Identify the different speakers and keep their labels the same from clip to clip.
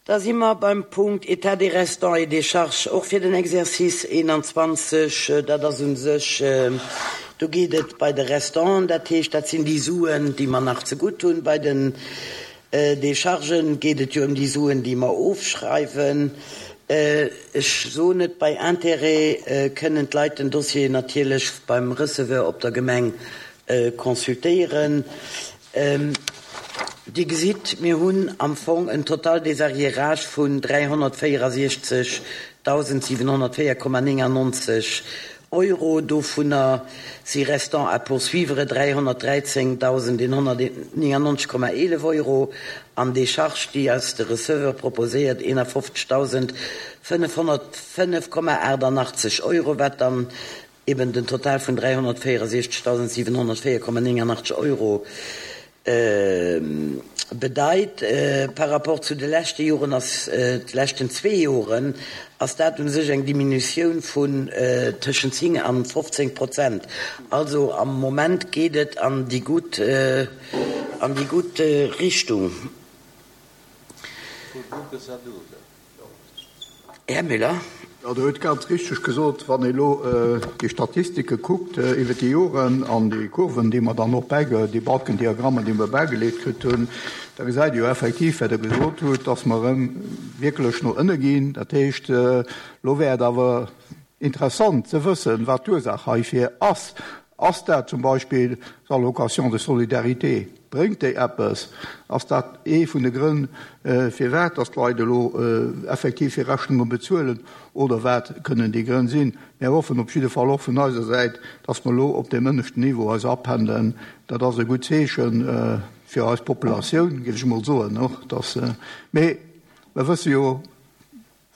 Speaker 1: Da si mer beim Punkt État des restants et des charges och fir den Exercice 21. Dat ass u sech, do geet et bei de Restanten, dat heescht, dat sinn déi Suen, déi mer nach zegutt hunn. Bei den Déchargen geet et jo ëm déi Suen, déi mer ofschreiwen. Ech soen et, bei Intérêt kënnen d'Leit den Dossier natierlech beim Receveur op der Gemeng consultéieren. Dir gesitt, mir hunn am Fong en Total des arriérages vun 364.704,99 Euro. Dovunner si Restants à poursuivre 313.199,11 Euro an Décharges, déi eis de Receveur proposéiert, 51.505,88 Euro, wat dann eben den Total vun 364.704,89 Euro bedeit. Par rapport zu de leschte Joren ass, de leschten zwee Joren, ass dat u sech eng Diminutioun vun tëschent 10 an 15 Prozent. Also am Moment geet et an déi gutt, an déi gutt Richtung. Här Müller.
Speaker 2: Jo, Der hutt ganz richteg gesot, wann ee elo déi Statistike kuckt iwwer déi Joren an déi Kurven, déi mer dann och bäige, déi Balkendiagrammer, déi mer bäigeleet kritt hunn, da gesäit ee jo effektiv, wat Der gesot hutt, dass mer erëm wierklech no ënne ginn. Dat heescht, elo wär et awer interessant ze wëssen, wat d'Ursaach heifir ass. Ass dat zum Beispill d'Allocation de solidarité? Bréngt déi eppes? Ass dat ee vun de Grënn, firwat dass d'Leit elo effektiv hir Rechnunge bezuelen? Oder wat kënnen déi Grënn sinn? Mir hoffen op jidde Fall och vun eiser Säit, dass mer elo op deem ënneschten Niveau eis apendelen. Dat ass e gutt Zeeche fir eis Populatioun, géif ech emol soen. Mee mer wësse jo,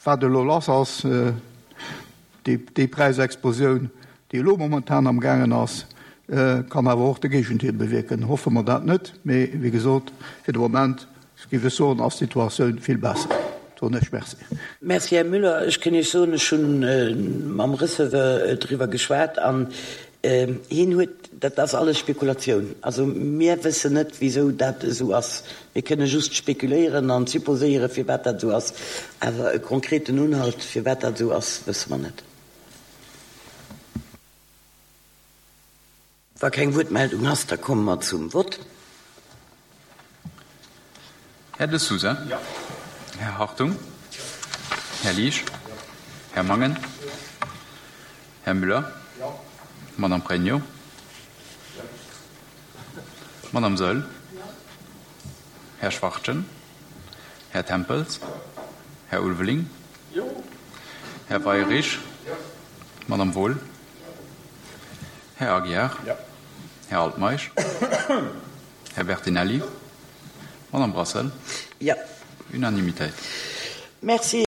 Speaker 2: Wat elo lass ass, déi Präisexplosioun, déi elo momentan am gaangen ass, kann awer och de Géigendeel bewierken. Hoffe mer dat net, mee wéi gesot, fir de Moment géif ech soen, ass d'Situatioun vill besser. Soen ech Merci.
Speaker 1: Merci, Här Müller. Ech kënn Iech soen, ech hu mam Receveur driwwer geschwat an Hien huet, dat ass alles Spekulatioun, also mir wëssen net wisou dat esou ass. Mir kënne just spekuléieren an supposéieren, firwat dat esou ass, awer e konkreten Unhalt, firwat dat esou ass, wësse mer net. Wa keng Wuertmeldung ass, da komme mer zum Vott.
Speaker 3: Här De Sousa. Här Hartung. Här Liesch. Här Mangen. Här Müller. Madame Pregno. Madame Saeul. Här Schwachtgen. Här Tempels. Här Ulveling. Här Weirich. Madame Wohl. Här Aguiar. Här Altmeisch. Här Bertinelli. Madame Brassel.
Speaker 1: Jo.
Speaker 3: Unanimitéit.
Speaker 1: Merci.